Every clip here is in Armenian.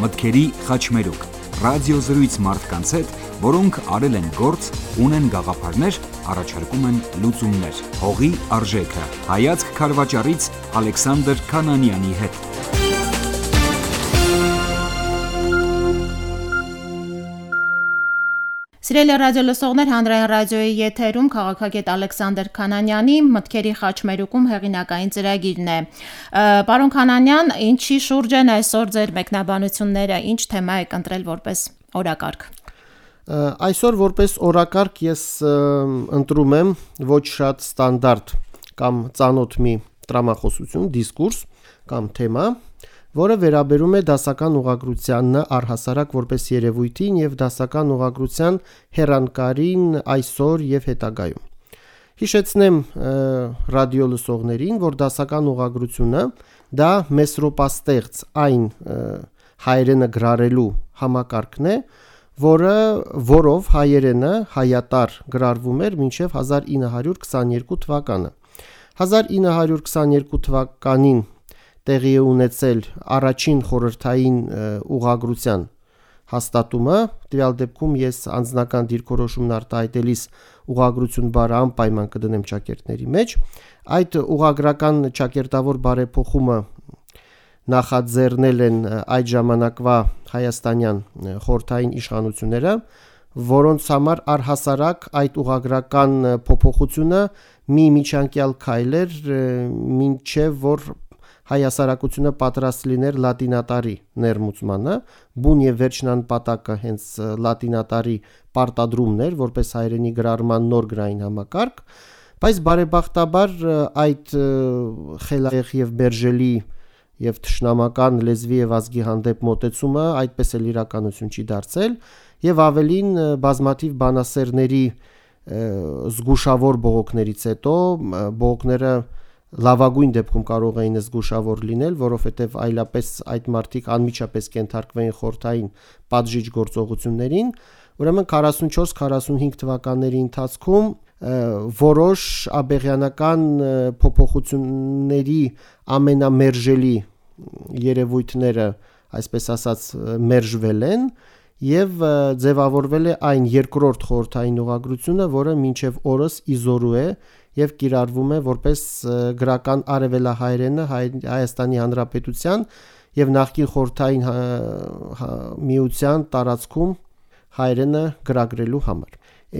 մտքերի խաչմերուկ, ռադիոզրույց մարդկանց հետ, որոնք արել են գործ, ունեն գաղափարներ, առաջարկում են լուծումներ։ Հողի արժեքը։ Հայացք քարվաճառից Ալեքսանդր Քանանյանի հետ։ Սիրելի ռադիոլսողներ, հանրային ռադիոյի եթերում քաղաքագետ Ալեքսանդր Քանանյանի մտքերի խաչմերուկում հեղինակային ծրագիրն է։ Պարոն Քանանյան, ինչի շուրջ են այսօր ձեր մեկնաբանությունները, ինչ թեմա եք ընտրել որպես օրակարգ։ Այսօր որպես օրակարգ ես ընտրում եմ ոչ շատ ստանդարտ կամ ծանոթ մի տրամախոսություն, դիսկուրս կամ թեմա, որը վերաբերում է դասական ուղղագրությանն առհասարակ որպես երևույթին եւ դասական ուղղագրության հեռանկարին այսօր եւ հետագայում։ Հիշեցնեմ ռադիոլսողներին, որ դասական ուղղագրությունը դա մեսրոպաստեղծ այն հայերենը գրառելու համակարգն է, որով հայերենը հայատար գրառվում էր մինչև 1922 թվականը։ 1922 թվականին տեղի է ունեցել առաջին խորհրդային ուղղագրության հաստատումը, տվյալ դեպքում ես անձնական դիրքորոշումն արտահայտելիս ուղղագրություն բառը անպայման կդնեմ ճակերտների մեջ։ Այդ ուղղագրական ճակերտավոր բարեփոխումը նախաձեռնել են այդ ժամանակվա հայաստանյան խորհրդային իշխանությունները, որոնց համար առհասարակ այդ ուղղագրական փոփոխությունը մի միջանկյալ քայլ էր, մինչև որ հայասարակությունը պատրաստ լիներ լատինատարի ներմուծմանը, բուն եւ վերջնանպատակը հենց լատինատարի պարտադրումն էր, որպես հայերենի գրառման նոր գրային համակարգ, բայց բարեբախտաբար այդ խելահեղ եւ մերժելի եւ թշնամական լեզվի եւ ազգի հանդեպ մոտեցումը այդպես էլ իրականություն չի դարձել եւ ավելին բազմաթիվ բանասերների զգուշավոր բողոքներից հետո բողոքները լավագույն դեպքում կարող էին զգուշավոր լինել, որովհետև այլապես այդ մարդիկ անմիջապես կենթարկվեին խորհրդային պատժիչ գործողություններին, ուրեմն 44-45 թվականների ընթացքում որոշ աբեղյանական փոփոխությունների ամենամերժելի երևույթները, այսպես ասած, մերժվել են եւ ձևավորվել է այն երկրորդ խորհրդային ուղղագրությունը, որը մինչև օրս իզորու է եւ կիրառվում է որպես գրական արևելահայերենը Հայաստանի Հանրապետության եւ նախկին խորհրդային միության տարածքում հայերենը գրագրելու համար։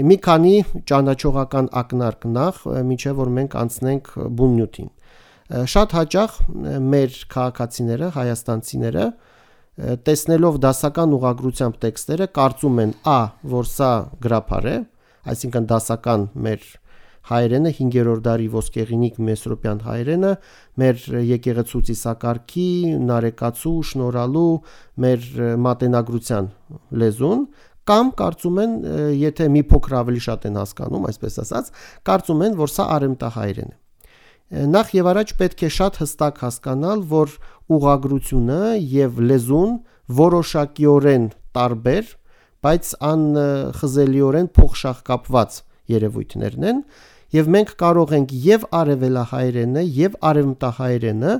Մի քանի ճանաչողական ակնարկ նախ, մինչև որ մենք անցնենք բուն նյութին։ Շատ հաճախ մեր քաղաքացիները, հայաստանցիները, տեսնելով դասական ուղղագրությամբ տեքստերը, կարծում են որ սա գրափար է, այսինքն դասական մեր հայերենը 5-րդ դարի ոսկեղինիկ մեսրոպյան հայերենը, մեր եկեղեցու ծիսակարգի, նարեկացու, շնորհալու, մեր մատենագրության լեզուն, կամ կարծում են, եթե մի փոքր ավելի շատ են հասկանում, այսպես ասած, կարծում են, որ սա արեմտահայերեն է։ Նախ եւ առաջ պետք է շատ հստակ հասկանալ, որ ուղղագրությունը եւ լեզուն որոշակիորեն տարբեր, բայց անխզելիորեն փոխշաղկապված երևույթներն են, եւ մենք կարող ենք եւ արևելահայերենը եւ արևմտահայերենը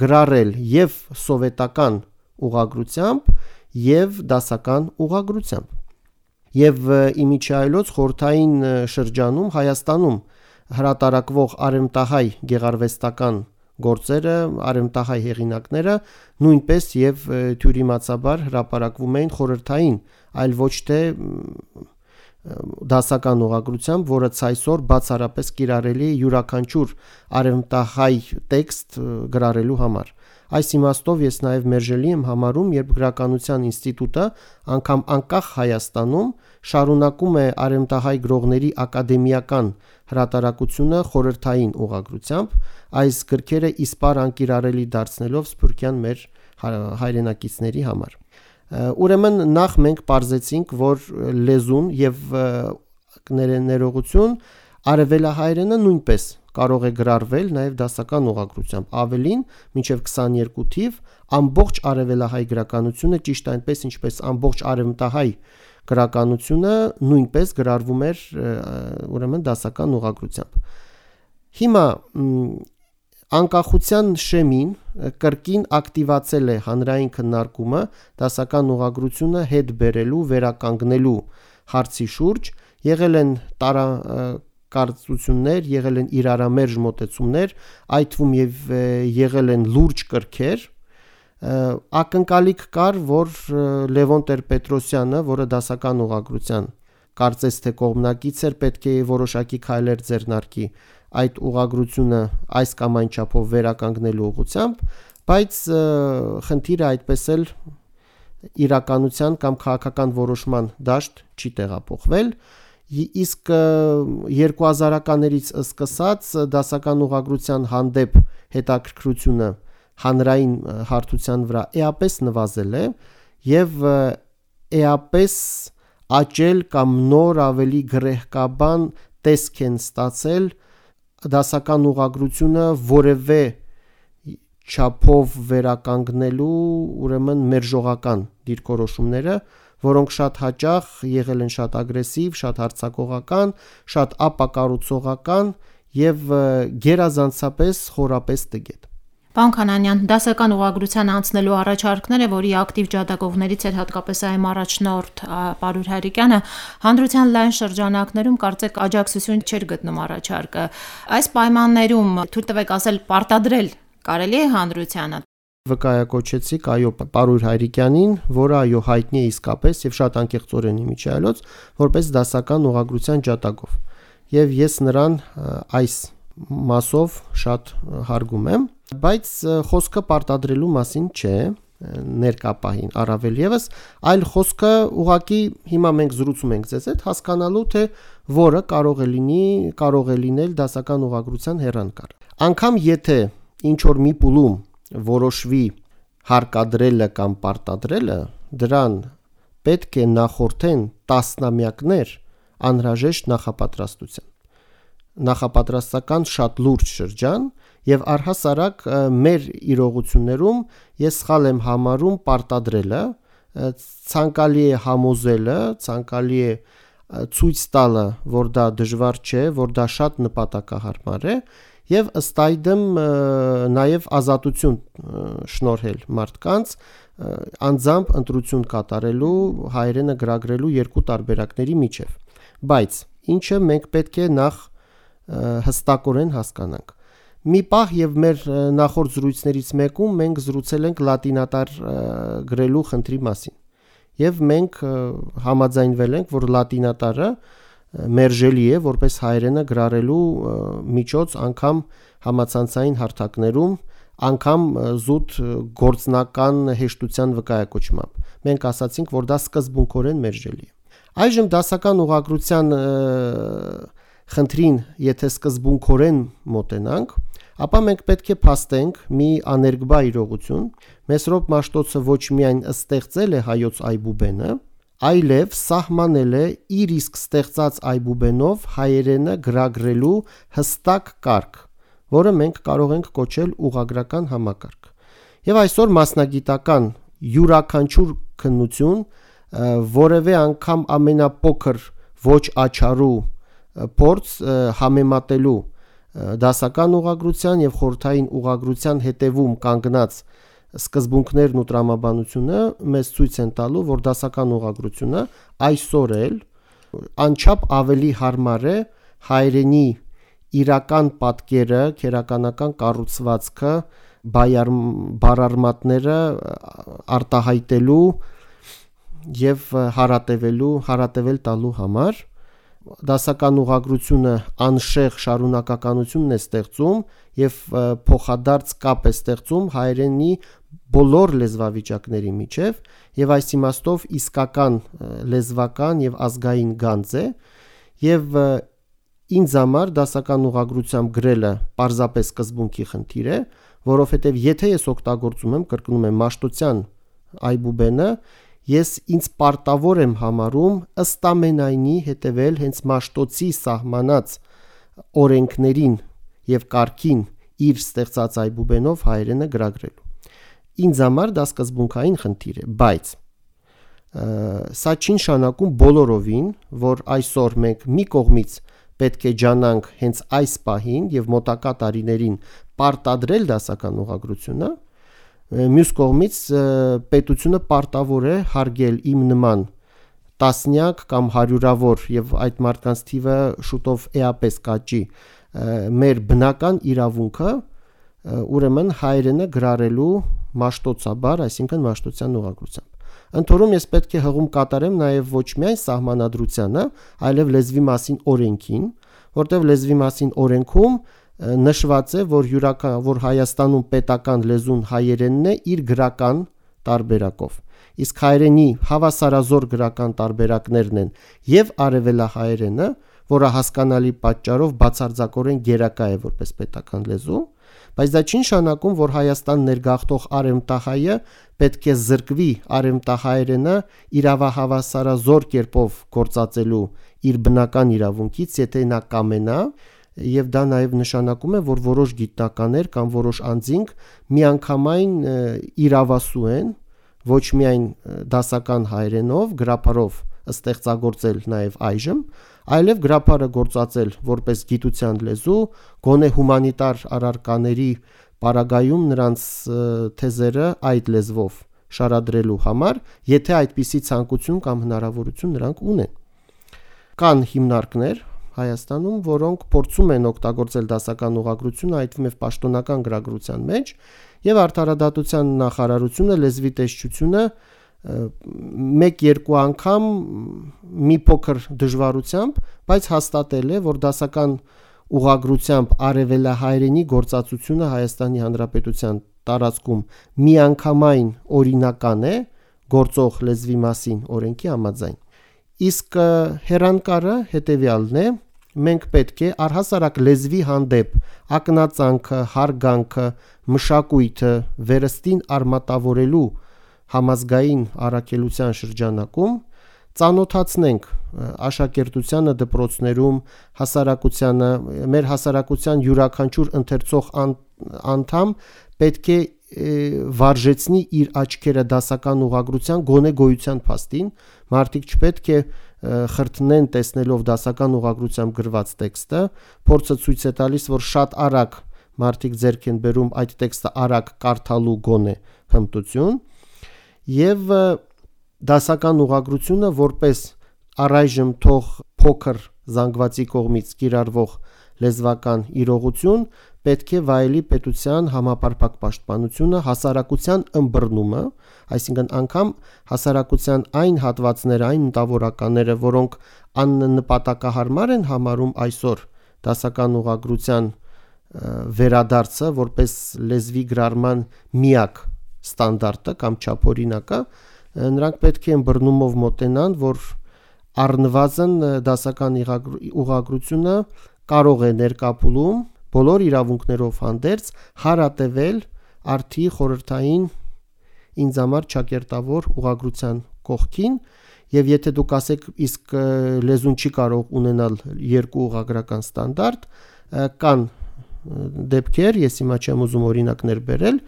գրառել եւ սովետական ուղղագրությամբ եւ դասական ուղղագրությամբ։ Եվ իմիջիայլոց խորհրդային շրջանում Հայաստանում հրատարակվող արևմտահայ գեղարվեստական գործերը, արևմտահայ հեղինակները նույնպես եւ թյուրիմացաբար հրապարակվում էին խորհրդային, այլ ոչ թե դասական ուղղագրությամբ, որը ցայսօր բացառապես կիրառելի է յուրաքանչյուր արևմտահայ տեքստ գրառելու համար։ Այս իմաստով ես նաև մերժելի եմ համարում, երբ գրականության ինստիտուտը անգամ անկախ Հայաստանում շարունակում է արևմտահայ գրողների ակադեմիական հրատարակությունը խորհրդային ուղղագրությամբ, այս գրքերը իսպար անկիրառելի դարձնելով սփյուռքյան մեր հայրենակիցների համար։ Ուրեմն նախ մենք պարզեցինք, որ լեզուն եւ ներողություն արևելահայերենը նույնպես կարող է գրառվել նաև դասական ուղղագրությամբ, ավելին մինչև 22 թիվ ամբողջ արևելահայ գրականությունը ճիշտ այնպես ինչպես ամբողջ արևմտահայ գրականությունը նույնպես գրառվում էր ուրեմն դասական ուղղագրությամբ։ Հիմա Անկախության շեմին կրկին ակտիվացել է հանրային քննարկումը դասական ուղղագրությունը հետ բերելու, վերականգնելու հարցի շուրջ, եղել են տարակարծություններ, եղել են իրարամերժ մոտեցումներ, այդ թվում եւ եղել են լուրջ կրքեր։ Ակնկալիք կար, որ Լևոն Տեր-Պետրոսյանը, որը դասական ուղղագրության կարծես թե կողմնակից էր, պետք է որոշակի քայլեր ձեռնարկի այդ ուղղագրությունը այս կամ այն չափով վերականգնելու ուղղությամբ, բայց խնդիրը այդպես էլ իրականության կամ քաղաքական որոշման դաշտ չի տեղափոխվել, իսկ 2000-ականներից սկսած դասական ուղղագրության հանդեպ հետաքրքրությունը հանրային հարթության վրա էապես նվազել է եւ էապես աճել կամ նոր ավելի գրեհկաբան տեսք են ստացել դասական ուղղագրությունը որևէ չափով վերականգնելու ուրեմն մերժողական դիրքորոշումները, որոնք շատ հաճախ եղել են շատ ագրեսիվ, շատ հարձակողական, շատ ապակառուցողական եւ գերազանցապես խորապես տգետ։ Պարոն Քանանյան, դասական ուղղագրության անցնելու առաջարկները, որի ակտիվ ջատագովներից էր հատկապես այմ առաջնորդ Պարուր Հարիկյանը, հանրության լայն շրջանակներում կարծեք աջակցություն չէր գտնում առաջարկը։ Այս պայմաններում թույլ տվեք ասել պարտադրել կարելի է հանրությանը։ Վկայակոչեցիք Պարուր Հարիկյանին, որը հայտնի է իսկապես եւ շատ անկեղծորեն իմիջիայլոց, որպես դասական ուղղագրության ջատագով։ Եվ ես նրան այս մասով շատ հարգում եմ, բայց խոսքը պարտադրելու մասին չէ ներկապահին առավել եւս, այլ խոսքը ուղղակի հիմա մենք զրուցում ենք ձեզ հետ հասկանալու թե որը կարող է լինել դասական ուղղագրության հեռանկար։ Անկամ եթե ինչ որ մի փուլում որոշվի հարկադրելը կամ պարտադրելը, դրան պետք է նախորդեն տասնամյակներ անհրաժեշտ նախապատրաստության։ Նախապատրաստական շատ լուրջ շրջան եւ առհասարակ մեր իրողություններում ես սխալ եմ համարում պարտադրելը, ցանկալի է համոզելը, ցանկալի է ցույց տալը, որ դա դժվար չէ, որ դա շատ նպատակահարմար է եւ ըստ այդմ նաեւ ազատություն շնորհել մարդկանց անձամբ ընտրություն կատարելու, հայրենը գրագրելու երկու տարբերակների միջև։ Բայց ինչը մենք պետք է նախ հստակորեն հասկանանք։ Մի պահ եւ մեր նախորդ զրույցներից մեկում մենք զրուցել ենք լատինատար գրելու խնդրի մասին։ Եվ մենք համաձայնվել ենք, որ լատինատարը մերժելի է որպես հայրենը գրառելու միջոց անգամ համացանցային հարթակներում, անգամ զուտ գործնական հեշտության վկայակոչմամբ։ Մենք ասացինք, որ դա սկզբունքորեն մերժելի է։ Այժմ դասական ուղղագրության խնդրին, եթե սկզբունքորեն մոտենանք, ապա մենք պետք է փաստենք մի աներկբա իրողություն։ Մեսրոպ Մաշտոցը ոչ միայն ստեղծել է հայոց այբուբենը, այլև սահմանել է իր իսկ ստեղծած այբուբենով հայերենը գրագրելու հստակ կարգ, որը մենք կարող ենք կոչել ուղղագրական համակարգ։ Եվ այսօր մասնագիտական յուրաքանչյուր քննություն, որևէ անգամ ամենափոքր ոչ աչառու փորձ համեմատելու դասական ուղղագրության եւ խորհրդային ուղղագրության հետևում կանգնած սկզբունքներն ու տրամաբանությունը մեզ ցույց են տալու, որ դասական ուղղագրությունը այսօր էլ անչափ ավելի հարմար է հայրենի իրական պատկերը, քերականական կառուցվածքը, բարարմատները արտահայտելու եւ հարատևել տալու համար։ Դասական ուղղագրությունը անշեղ շարունակականությունն է ստեղծում եւ փոխադարձ կապ է ստեղծում հայրենի բոլոր լեզվավիճակների միջև եւ այս իմաստով իսկական լեզվական եւ ազգային գանձ է եւ ինձ համար դասական ուղղագրությամբ գրելը պարզապես սկզբունքի խնդիր է, որովհետեւ եթե ես օգտագործում եմ, կրկնում եմ, մաշտոցյան այբուբենը, ես ինձ պարտավոր եմ համարում ըստ ամենայնի հետևել հենց Մաշտոցի սահմանած օրենքներին եւ կարգին իր ստեղծած այբուբենով հայրենը գրագրելու։ Ինձ համար դա սկզբունքային խնդիր է, բայց սա չի նշանակում բոլորովին, որ այսօր մենք մի կողմից պետք է ջանանք հենց այս պահին եւ մոտակա տարիներին պարտադրել դասական ուղղագրությունը, մյուս կողմից պետությունը պարտավոր է հարգել իմ նման տասնյակ կամ հարյուրավոր եւ այդ մարդկանց թիվը շուտով էապես կաճի մեր բնական իրավունքը, ուրեմն հայրենը գրառելու մաշտոցաբար, այսինքն մաշտոցյան ուղղագրությամբ։ Ընթորում ես պետք է հղում կատարեմ նաև ոչ միայն սահմանադրությանը, այլև լեզվի մասին օրենքին, որտեղ լեզվի մասին օրենքում նշված է, որ Հայաստանում պետական լեզուն հայերենն է իր գրական տարբերակով։ Իսկ հայերենի հավասարազոր գրական տարբերակներն են եւ արևելահայերենը, որը հասկանալի պատճառով բացարձակորեն գերակա է որպես պետական լեզու, բայց դա չի նշանակում, որ Հայաստան ներգաղթող արևմտահայը պետք է զրկվի արևմտահայերենը իրավահավասարազոր կերպով գործածելու իր բնական իրավունքից, եթե նա կամենա, եւ դա նաեւ նշանակում է, որ որոշ գիտնականներ կամ որոշ անձինք միանգամայն իրավասու են ոչ միայն դասական հայերենով, գրապարով ստեղծագործել նաեւ այժմ, այլև գրապարը գործածել որպես գիտության լեզու, գոնե հումանիտար առարկաների պարագայում նրանց թեզերը այդ լեզվով շարադրելու համար, եթե այդպիսի ցանկություն կամ հնարավորություն նրանք ունեն։ Կան հիմնարկներ Հայաստանում, որոնք փորձում են օգտագործել դասական ուղղագրությունը, այդ թվում է պաշտոնական գրագրության մեջ, եւ Արդարադատության նախարարությունը լեզվի տեսչությունը 1-2 անգամ մի փոքր դժվարությամբ, բայց հաստատել է, որ դասական ուղղագրությամբ արևելահայերենի գործածությունը Հայաստանի Հանրապետության տարածքում միանգամայն օրինական է գործող լեզվի մասին օրենքի համաձայն։ Իսկ հեռանկարը հետևյալն է. մենք պետք է առհասարակ լեզվի հանդեպ ակնածանքը, հարգանքը, մշակույթը վերստին արմատավորելու համազգային առաքելության շրջանակում ծանոթացնենք աշակերտությանը դպրոցներում, հասարակությանը, մեր հասարակության յուրաքանչյուր ընթերցող անդամ պետք է վարժեցնի իր աչքերը դասական ուղղագրության գոնե գոյության փաստին, մարդիկ չպետք է խրտնեն տեսնելով դասական ուղղագրությամբ գրված տեքստը, փորձը ցույց է տալիս, որ շատ արագ մարդիկ ձեռք են բերում այդ տեքստը արագ կարդալու գոնե հմտություն, եւ դասական ուղղագրությունը որպես առայժմ թող փոքր զանգվածի կողմից կիրառվող լեզվական իրողություն պետք է վայելի պետության համապարփակ պաշտպանությունը, հասարակության ըմբռնումը, այսինքն անգամ հասարակության այն հատվածները, այն մտավորականները, որոնք աննպատակահարմար են համարում այսօր դասական ուղղագրության վերադարձը որպես լեզվի գրառման միակ ստանդարտը կամ չափօրինակը, նրանք պետք է ըմբռնումով մոտենան, որ առնվազն դասական ուղղագրությունը կարող է ներկապուլում բոլոր իրավունքներով հանդերձ հարատևել արդի խորհրդային ինձ համար ճակերտավոր ուղղագրության կողքին, եւ եթե դուք ասեք իսկ լեզուն չի կարող ունենալ երկու ուղղագրական ստանդարտ, կան դեպքեր, ես հիմա չեմ ուզում օրինակներ բերել,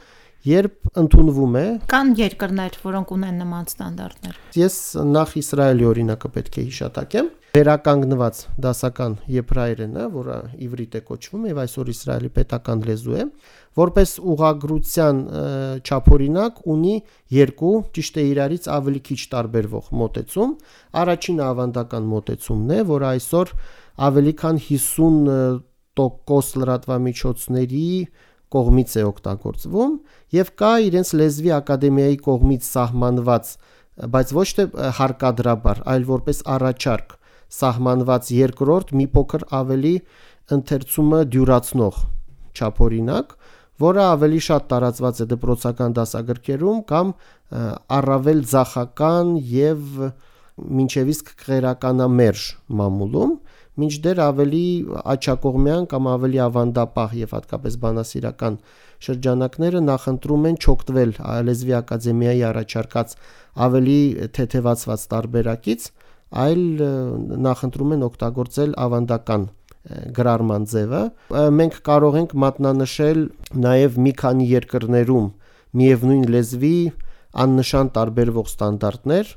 երբ ընդունվում է կան երկրներ, որոնք ունեն նման ստանդարտներ։ Ես նախ Իսրայելի օրինակը պետք է հիշատակեմ։ Վերականգնված դասական եբրայերենը, որը իվրիտ է կոչվում եւ այսօր Իսրայելի պետական լեզու է, որպես ուղղագրության չափօրինակ ունի երկու, ճիշտ է իրարից ավելի քիչ տարբերվող մոտեցում։ Առաջինը ավանդական մոտեցումն է, որը այսօր ավելի քան 50% լրատվամիջոցների կողմից է օգտագործվում եւ կա իրենց լեզվի ակադեմիայի կողմից սահմանված, բայց ոչ թե հարկադրաբար, այլ որպես առաջարկ սահմանված երկրորդ մի փոքր ավելի ընթերցումը դյուրացնող չափօրինակ, որը ավելի շատ տարածված է դպրոցական դասագրքերում կամ առավել ձախական եւ մինչև իսկ քղերականամերժ մամուլում, մինչդեռ ավելի աչակողմյան կամ ավելի ավանդապահ եւ հատկապես բանասիրական շրջանակները նախընտրում են չօգտվել լեզվի ակադեմիայի առաջարկած ավելի թեթևացված տարբերակից, այլ նախընտրում են օգտագործել ավանդական գրառման ձևը։ Մենք կարող ենք մատնանշել նաեւ մի քանի երկրներում միևնույն լեզվի աննշան տարբերվող ստանդարտներ,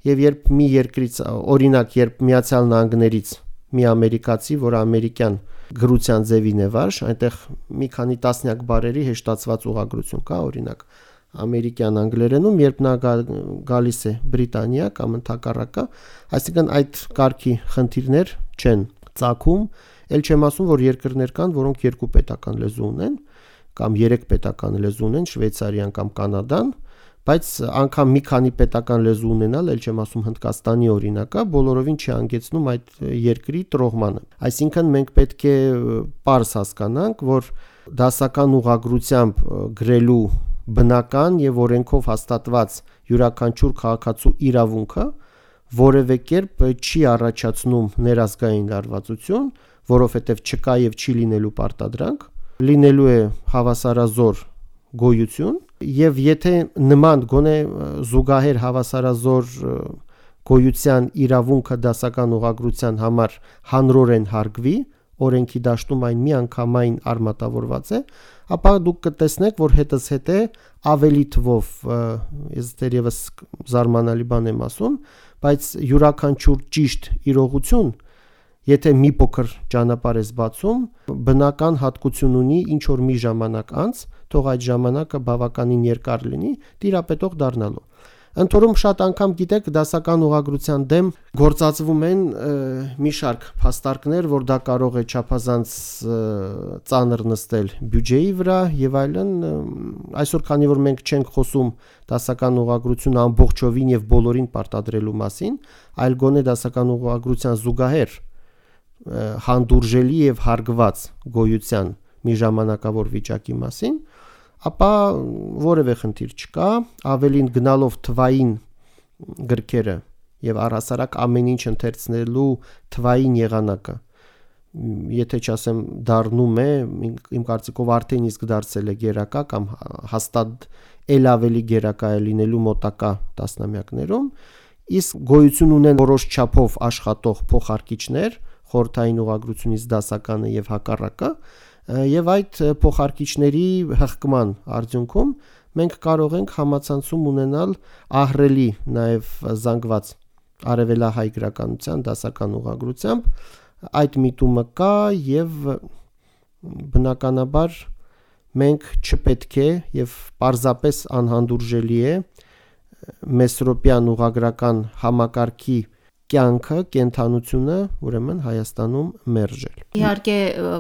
եւ երբ մի երկրից, օրինակ, երբ Միացյալ Նահանգներից մի ամերիկացի, որը ամերիկյան գրության ձևին է վարժ, այնտեղ մի քանի տասնյակ բարերի հեշտացված ուղղագրություն կա, օրինակ ամերիկյան անգլերենում, երբ նա գալիս է Բրիտանիա կամ ընդհակառակը, այսինքն այդ կարգի խնդիրներ չեն ծագում, ել չեմ ասում, որ երկրներ կան, որոնք երկու պետական լեզու ունեն կամ երեք պետական լեզու ունեն, Շվեյցարիան կամ Կանադան, բայց անգամ մի քանի պետական լեզու ունենալ, ել չեմ ասում Հնդկաստանի օրինակը, բոլորովին չի հանգեցնում այդ երկրի տրոհմանը։ Այսինքն մենք պետք է պարզ հասկանանք, որ դասական ուղղագրությամբ գրելու բնական եւ օրենքով հաստատված յուրաքանչյուր քաղաքացու իրավունքը որևէ կերպ չի առաջացնում ներազգային լարվածություն, որովհետեւ չկա եւ չի լինելու պարտադրանք, լինելու է հավասարազոր գոյություն եւ եթե նման գոնե զուգահեռ հավասարազոր գոյության իրավունքը դասական ուղղագրության համար հանրորեն հարգվի, օրենքի դաշտում այն միանգամայն արմատավորված է, ապա դուք կտեսնեք, որ հետզհետե ավելի թվով, ես դեռևս զարմանալի բան եմ ասում, բայց յուրաքանչյուր ճիշտ իրողություն, եթե մի փոքր ճանապարհ ես բացում, բնական հատկություն ունի ինչ որ մի ժամանակ անց, թող այդ ժամանակը բավականին երկար լինի, տիրապետող դառնալու։ Ընթորում շատ անգամ գիտեք, դասական ուղղագրության դեմ գործածվում են մի շարք փաստարկներ, որ դա կարող է չափազանց ծանր նստել բյուջեի վրա եւ այլն։ Այսօր քանի որ մենք չենք խոսում դասական ուղղագրությունը ամբողջովին եւ բոլորին պարտադրելու մասին, այլ գոնե դասական ուղղագրության զուգահեռ հանդուրժելի եւ հարգված գոյության մի ժամանակավոր վիճակի մասին, ապա որևէ խնդիր չկա, ավելին գնալով թվային գրքերը եւ առհասարակ ամեն ինչ ընթերցնելու թվային եղանակը, եթե չասեմ դառնում է, իմ կարծիքով արդեն իսկ դարձել է գերակա կամ հաստատ ել ավելի գերակա է լինելու մոտակա տասնամյակներում, իսկ գոյություն ունեն որոշ չափով աշխատող փոխարկիչներ, խորհրդային ուղղագրությունից դասականը եւ հակառակը, եւ այդ փոխարկիչների հղկման արդյունքում մենք կարող ենք համացանցում ունենալ ահռելի նաեւ զանգված արևելահայ գրականության դասական ուղղագրությամբ, այդ միտումը կա եւ բնականաբար մենք չպետք է եւ պարզապես անհանդուրժելի է մեսրոպյան ուղղագրական համակարգի կյանքը, կենթանությունը, ուրեմն Հայաստանում մերժել։ Իհարկե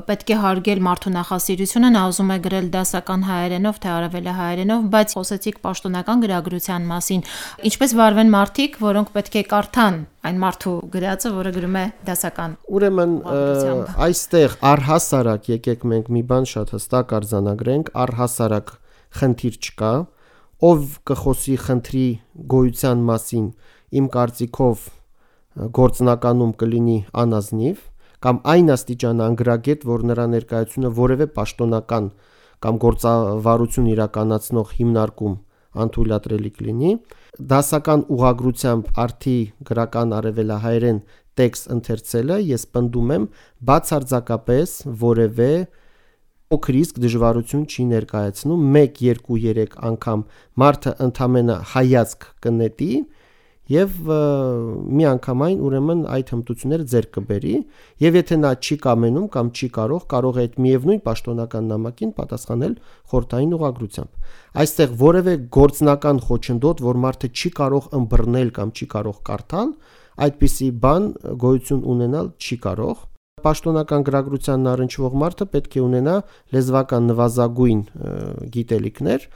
պետք է հարգել մարդու նախասիրությունը, նա ուզում է գրել դասական հայերենով, թե արևելահայերենով, բայց խոսեցիք պաշտոնական գրագրության մասին։ Ինչպես վարվեն մարդիկ, որոնք պետք է կարդան այն մարդու գրածը, որը գրում է դասական։ Ուրեմն այստեղ առհասարակ եկեք մենք մի բան շատ հստակ արձանագրենք, առհասարակ խնդիր չկա, ով կխոսի խնդրի գոյության մասին, իմ կարծիքով գործնականում կլինի անազնիվ կամ այն աստիճան անգրագետ, որ նրա ներկայությունը որևէ պաշտոնական կամ գործավարություն իրականացնող հիմնարկում անթույլատրելի կլինի, դասական ուղղագրությամբ արդի գրական արևելահայերեն տեքստ ընթերցելը ես պնդում եմ բացարձակապես որևէ փոքր իսկ դժվարություն չի ներկայացնում, 1, 2, 3 անգամ մարդը ընդամենը հայացք կնետի եւ միանգամայն ուրեմն այդ հմտությունները ձեռք կբերի եւ եթե նա չի կամենում կամ չի կարող է այդ միևնույն պաշտոնական նամակին պատասխանել խորհրդային ուղղագրությամբ։ Այստեղ որևէ գործնական խոչընդոտ, որ մարդը չի կարող ըմբռնել կամ չի կարող կարդալ, այդպիսի բան գոյություն ունենալ չի կարող։ Պաշտոնական գրագրությանն առնչվող մարդը պետք է ունենա լեզվական նվազագույն գիտելիքներ։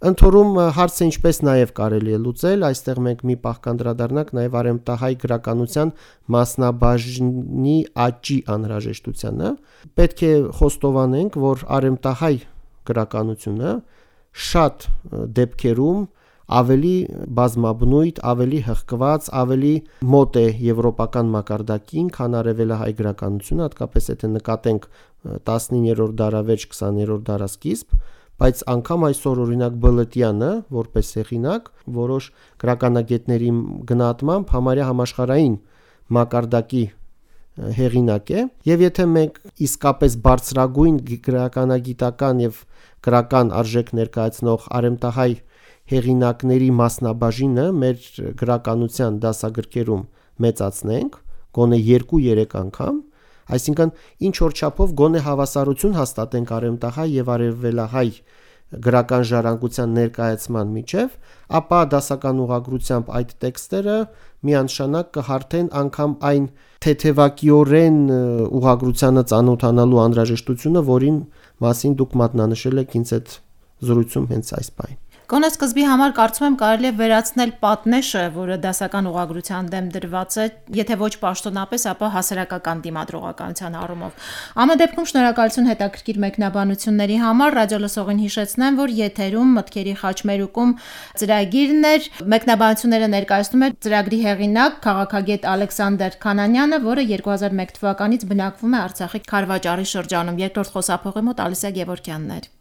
Ընթորում հարցը ինչպես նաև կարելի է լուծել, այստեղ մենք մի պահ կանդրադառնանք նաև արեմտահայ գրականության մասնաբաժնի աճի անհրաժեշտությանը։ Պետք է խոստովանենք, որ արեմտահայ գրականությունը շատ դեպքերում ավելի բազմաբնույթ, ավելի հղկված, ավելի մոտ է եվրոպական մակարդակին, քան արևելահայ գրականությունը, հատկապես եթե նկատենք 19-րդ դարավերջ 20-րդ դարասկիզբ, բայց անգամ այսօր օրինակ Բլտյանը, որպես հեղինակ, որոշ գրականագետների գնահատմամբ համարյա համաշխարհային մակարդակի հեղինակ է, եւ եթե մենք իսկապես բարձրագույն գրականագիտական եւ գրական արժեք ներկայացնող արեմտահայ հեղինակների մասնաբաժինը մեր գրականության դասագրքերում մեծացնենք, գոնե 2-3 անգամ, այսինքն ինչ որ չափով գոնե հավասարություն հաստատենք արևմտահայ եւ արևելահայ գրական ժառանգության ներկայացման միջև, ապա դասական ուղղագրությամբ այդ տեքստերը միանշանակ կհարթեն անգամ այն թեթևակիորեն ուղղագրությանը ծանոթանալու անհրաժեշտությունը, որին մասին դուք մատնանշել եք ինձ այդ զրույցում հենց այս բանը։ Գոնե սկզբի համար կարծում եմ կարելի է վերացնել պատնեշը, որը դասական ուղղագրության դեմ դրված է, եթե ոչ պաշտոնապես, ապա հասարակական դիմադրողականության առումով։ Ամեն դեպքում շնորհակալություն հետաքրքիր մեկնաբանությունների համար։ Ռադիոլսողին հիշեցնեմ, որ եթերում մտքերի խաչմերուկում ծրագիրն էր, մեկնաբանությունները ներկայացնում էր ծրագրի հեղինակ քաղաքագետ Ալեքսանդր Քանանյանը, որը 2001 թվականից բնակվում է Արցախի Քարվաճառի շրջանում։ Երկրորդ խոսափողի մոտ Ալիսա Գևորգյանն էր։